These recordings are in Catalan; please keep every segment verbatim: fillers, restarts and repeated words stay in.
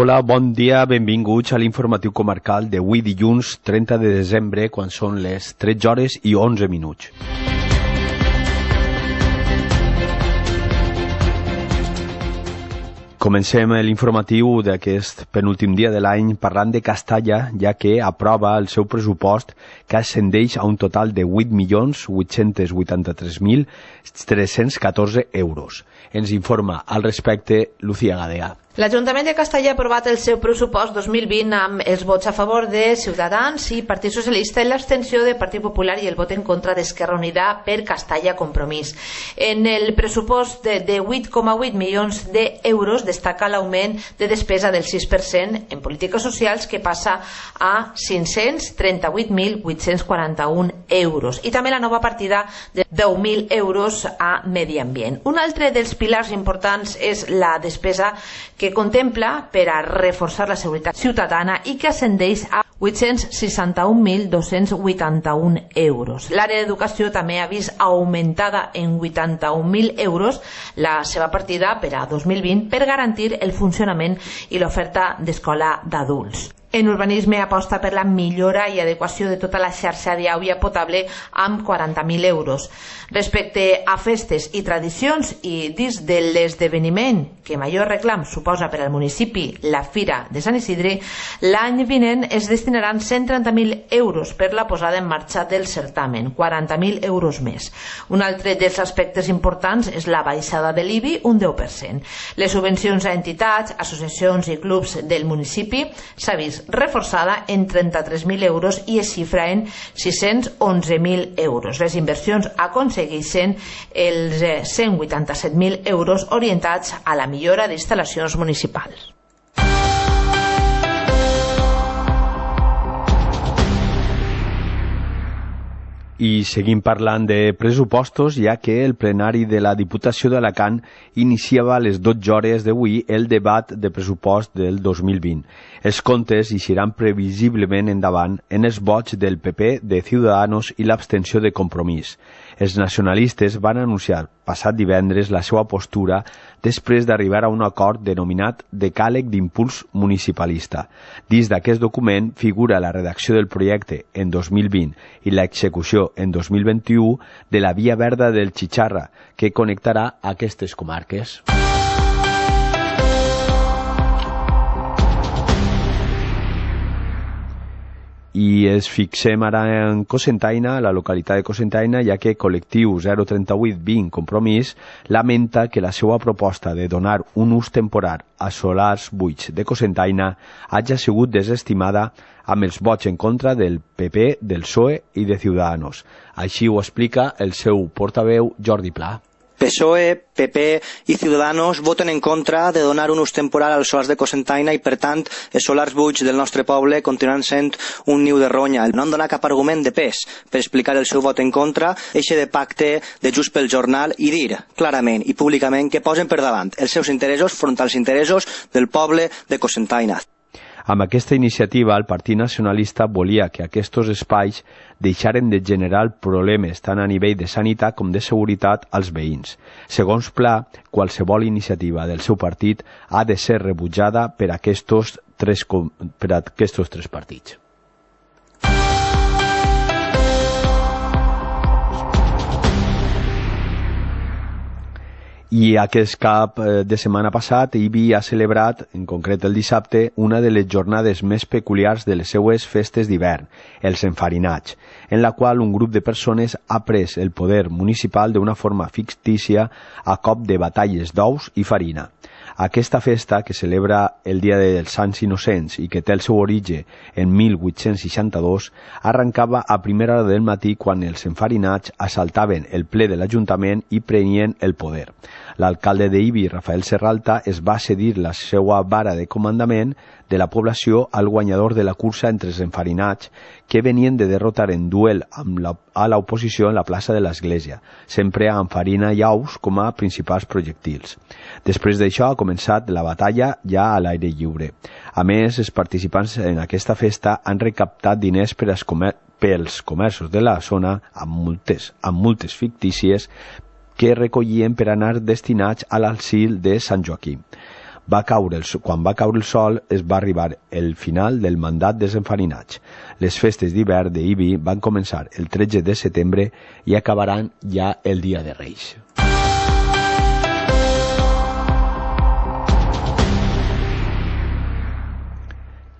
Hola, bon dia, benvinguts a l'informatiu comarcal d'avui dilluns trenta de desembre, quan són les tretze hores i onze minuts. Comencem l'informatiu d'aquest penúltim dia de l'any parlant de Castalla, ja que aprova el seu pressupost, que ascendeix a un total de vuit milions vuit-cents vuitanta-tres mil tres-cents catorze euros. Ens informa al respecte Lucía Gadea. L'Ajuntament de Castalla ha aprovat el seu pressupost dos mil vint amb els vots a favor de Ciutadans i Partit Socialista i l'abstenció de Partit Popular i el vot en contra d'Esquerra Unida per Castalla Compromís. En el pressupost de, de vuit coma vuit milions d'euros destaca l'augment de despesa del sis per cent en polítiques socials, que passa a cinc-cents trenta-vuit mil vuit-cents quaranta-un euros, i també la nova partida de deu mil euros a Medi Ambient. Un altre dels pilars importants és la despesa que contempla per a reforçar la seguretat ciutadana i que ascendeix a vuit-cents seixanta-un mil dos-cents vuitanta-un euros. L'àrea d'educació també ha vist augmentada en vuitanta-un mil euros la seva partida per a dos mil vint per garantir el funcionament i l'oferta d'escola d'adults. En urbanisme aposta per la millora i adequació de tota la xarxa d'aigua potable amb quaranta mil euros. Respecte a festes i tradicions i dins de l'esdeveniment que major reclam suposa per al municipi la Fira de Sant Isidre, l'any vinent es destinaran cent trenta mil euros per la posada en marxa del certamen, quaranta mil euros més. Un altre dels aspectes importants és la baixada de l'I B I, un deu per cent. Les subvencions a entitats, associacions i clubs del municipi s'ha vist reforçada en trenta-tres mil euros i es xifra en sis-cents onze mil euros. Les inversions aconsegueixen els cent vuitanta-set mil euros orientats a la millora d'instal·lacions municipals. I seguim parlant de pressupostos, ja que el plenari de la Diputació d'Alacant iniciava a les dotze hores d'avui el debat de pressupost del dos mil vint. Els comptes eixiran previsiblement endavant en els vots del P P, de Ciudadanos i l'abstenció de Compromís. Els nacionalistes van anunciar passat divendres la seva postura després d'arribar a un acord denominat Decàleg d'Impuls Municipalista. Dins d'aquest document figura la redacció del projecte en dos mil vint i l'execució en dos mil vint-i-u de la via verda del Chicharra, que connectarà aquestes comarques. I ens fixem ara en Cocentaina, la localitat de Cocentaina, ja que col·lectiu zero trenta vuit vint Compromís lamenta que la seva proposta de donar un ús temporal a solars buits de Cocentaina hagi sigut desestimada amb els vots en contra del P P, del P S O E i de Ciudadanos. Així ho explica el seu portaveu Jordi Pla. P S O E, P P i Ciudadanos voten en contra de donar un ús temporal als solars de Cocentaina i, per tant, els solars buits del nostre poble continuaran sent un niu de ronya. No han donat cap argument de pes per explicar el seu vot en contra, eixe de pacte de Just pel Jornal, i dir clarament i públicament que posen per davant els seus interessos front als interessos del poble de Cocentaina. Amb aquesta iniciativa, el Partit Nacionalista volia que aquests espais deixaren de generar problemes tant a nivell de sanitat com de seguretat als veïns. Segons Pla, qualsevol iniciativa del seu partit ha de ser rebutjada per aquests tres, per aquests tres partits. I aquest cap de setmana passat, I B I ha celebrat, en concret el dissabte, una de les jornades més peculiars de les seues festes d'hivern, els enfarinats, en la qual un grup de persones ha pres el poder municipal d'una forma fictícia a cop de batalles d'ous i farina. Aquesta festa, que celebra el Dia dels Sants Innocents i que té el seu origen en mil vuit-cents seixanta-dos, arrencava a primera hora del matí quan els enfarinats assaltaven el ple de l'Ajuntament i prenien el poder. L'alcalde d'Ibi, Rafael Serralta, es va cedir la seva vara de comandament de la població al guanyador de la cursa entre els enfarinats, que venien de derrotar en duel amb la, a l'oposició en la plaça de l'Església, sempre amb farina i ous com a principals projectils. Després d'això ha començat la batalla ja a l'aire lliure. A més, els participants en aquesta festa han recaptat diners per als comer pels comerços de la zona amb multes, amb multes fictícies que recollien per anar destinats a l'asil de Sant Joaquim. Va caure el, quan va caure el sol es va arribar el final del mandat de desenfarinatge. Les festes d'hivern d'Ibi van començar el tretze de setembre i acabaran ja el dia de Reis.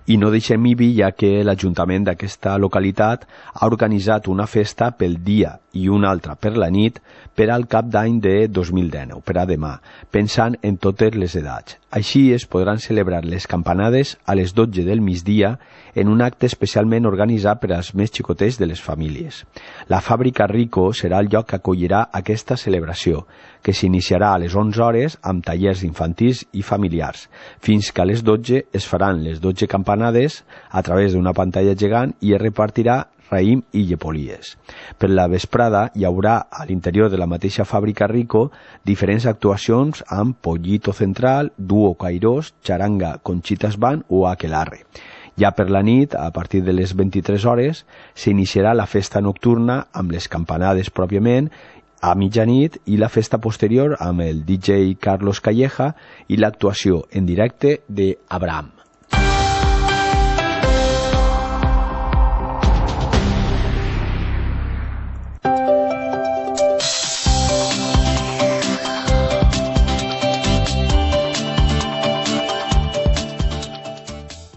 I no deixem Ibi, ja que l'Ajuntament d'aquesta localitat ha organitzat una festa pel dia i una altra per la nit per al cap d'any de dos mil dinou, per a demà, pensant en totes les edats. Així es podran celebrar les campanades a les dotze del migdia en un acte especialment organitzat per als més xicotets de les famílies. La fàbrica Rico serà el lloc que acollirà aquesta celebració, que s'iniciarà a les onze hores amb tallers infantils i familiars. Fins que a les dotze es faran les dotze campanades a través d'una pantalla gegant i es repartirà raïm i llepolies. Per la vesprada hi haurà a l'interior de la mateixa fàbrica Rico diferents actuacions amb Pollito Central, Duo Cairós, Charanga Conchitas Band o Aquelarre. Ja per la nit, a partir de les vint-i-tres hores, s'iniciarà la festa nocturna amb les campanades pròpiament a mitjanit i la festa posterior amb el D J Carlos Calleja i l'actuació en directe d'Abraham.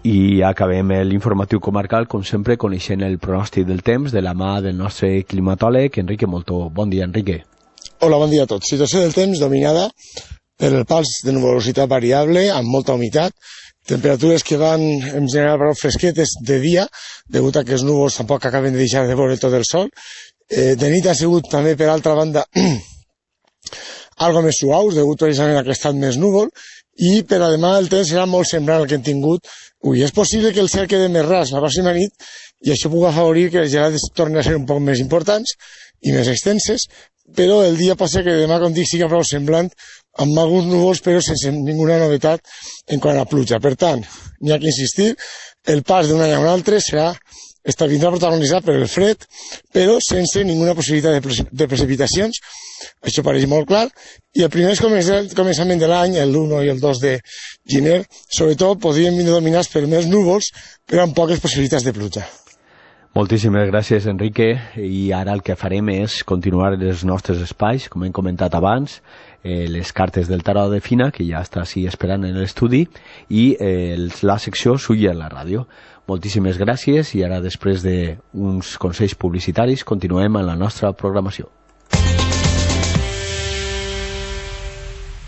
I acabem l'informatiu comarcal, com sempre, coneixent el pronòstic del temps de la mà del nostre climatòleg, Enrique Moltó. Bon dia, Enrique. Hola, bon dia a tots. Situació del temps dominada per el pals de nuvolositat variable, amb molta humitat, temperatures que van en general prou fresquetes de dia, degut a que els núvols tampoc acaben de deixar de veure tot el sol. Eh, de nit ha sigut també, per altra banda, algo més suaus, degut precisament a que ha estat més núvol, i per a demà el temps serà molt semblant al que hem tingut. Ui, és possible que el cel quede més ras la pròxima nit i això pugui afavorir que les gelades tornin a ser un poc més importants i més extenses, però el dia pot ser que demà, com dic, sigui prou semblant, amb alguns núvols però sense ninguna novetat en quant a pluja. Per tant, n'hi ha que insistir, el pas d'un any a un altre serà està vindrà protagonitzat per el fred, però sense ninguna possibilitat de, pre de precipitacions. Això pareix molt clar. I el primer començament de l'any, l'un i el dos de gener, sobretot podrien venir dominats per més núvols, però amb poques possibilitats de pluja. Moltíssimes gràcies, Enrique. I ara el que farem és continuar els nostres espais, com hem comentat abans, eh, les cartes del tarot de Fina, que ja està així esperant en l'estudi, i eh, la secció Sulla a la ràdio. Moltíssimes gràcies i ara, després d'uns consells publicitaris, continuem amb la nostra programació.